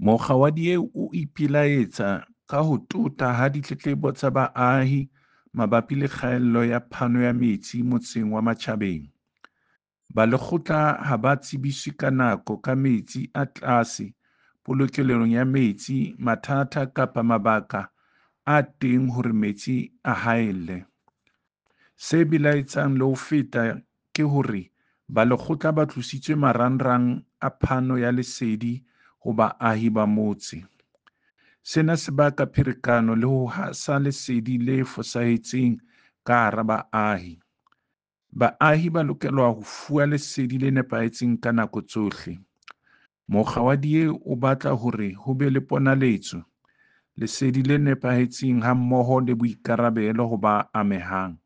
Mokga wa DA o ipilaetsa ka ho tota ha ditletlebo tsa baahi mabapi le kgaello ya phano ya metsi motseng wa Matjhabeng. Balekgotla ha ba tsebiswe ka nako ka metsi a tlase polokelong ya metsi, mathata kapa mabaka a teng hore metsi a haelle. Se belaetsang le ho feta ke hore balekgotla ba tlositswe marangrang a phano ya lesedi ho baahi ba motse. Sena se baka pherekano le ho hasa lesedi le fosahetseng ka hara baahi. Baahi ba lokelwa ho fuwa lesedi le nepahetseng ka nako tsohle. Mokga wa DA o batla hore ho be le ponaletso, lesedi le nepahetseng hammoho le boikarabelo ho ba amehang.